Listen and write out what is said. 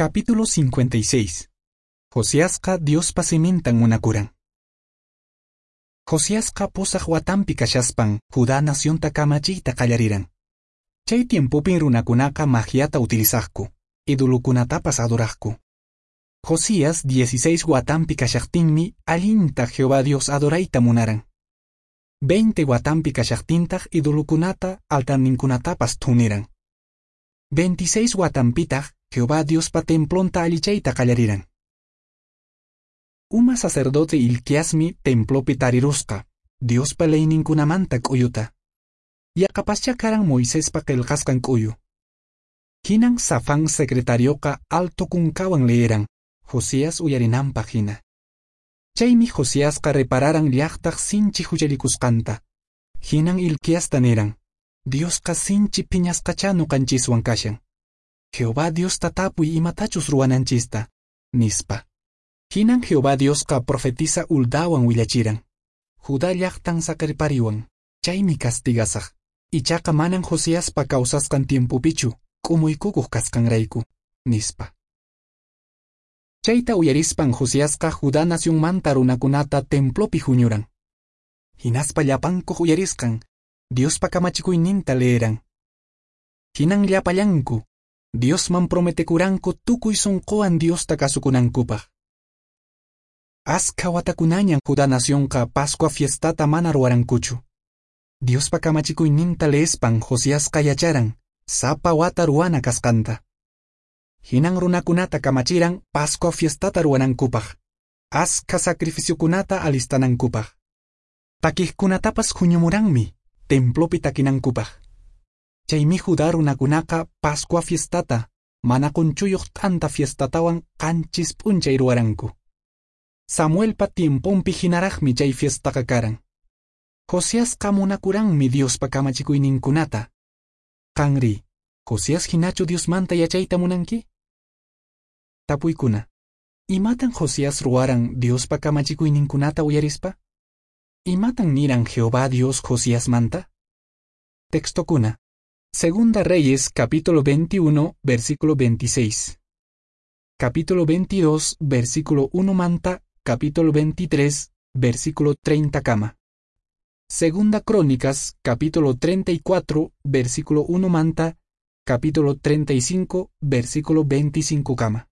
Capítulo 56. Josiasqa Diospa simintan munakuran. Josiasqa pusaq watanpi kashaspan Judá nacionta kamachiyta qallariran. Chay tiempopin runakunaqa magiata utilizaqku, idolokunatapas adoraqku. Josías 16 watanpi kashaqtinmi allinta Jehová Dios adorayta munaran. 20 watanpi kashaqtintaq idolokunata altarninkunatapas thuniran. 26 watanpitaq Jehová Diospa templonta allichayta qallariran. Uma sacerdote Hilquiasmi templopi tarirusqa, Diospa leyninkunamanta k'uyuta. Yaqapaschá karan Moisespa qillqasqan k'uyu. Hinan Safán secretarioqa alto kunkawan leeran, Josías uyarinanpaq hina. Chaymi Josiasqa repararan llaqtaq sinchi huchallikusqanta. Hinan Hilquiasta niran, Diosqa sinchi phiñasqachá ñuqanchiswan kashan. Jehová Diosta tapuy imatachus ruwananchista, nispa. Hinan Jehová Diosqa profetisa Huldawan willachiran. Judá llaqtan saqerpariwan, chaymi castigasaq. Ichaqa manan Josiaspa kawsasqan tiempopichu k'umuykukuq kasqanrayku, nispa. Chayta uyarispan Josiasqa Judá nacionmanta runakunata templopi huñuran. Hinaspa llapankuq uyarisqan, Diospa kamachikuyninta leeran. Hinan llapallanku, Diosman prometekuranku tukuy sunquwan Diosta kasukunankupaq. Askha watakunañan Judá nacionqa Pascua fiestata mana ruwarankuchu. Diospa kamachikuyninta leespan Josiasqa yacharan, sapa wata ruwana kasqanta. Hinan runakunata kamachiran Pascua fiestata ruwanankupaq, askha sacrificiokunata alistanankupaq. Takiqkunatapas huñumuranmi templopi takinankupaq. Chaymi Judá runakunaqa Pascua fiestata, mana qunchuyuq t'anta fiestatawan qanchis p'unchay ruwaranku. Samuelpa tiemponpi hinaraqmi chay fiestaqa karan. Josiasqa munakuranmi Diospa kamachikuyninkunata. Qanri, Josías hinachu Diosmanta yachayta munanki? Tapuykuna. Imatan Josías ruwaran Diospa kamachikuyninkunata uyarispa? Imatan niran Jehová Dios Josiasmanta? Textokuna. Segunda Reyes, capítulo 21, versículo 26. Capítulo 22, versículo 1 manta, capítulo 23, versículo 30 kama. Segunda Crónicas, capítulo 34, versículo 1 manta, capítulo 35, versículo 25 kama.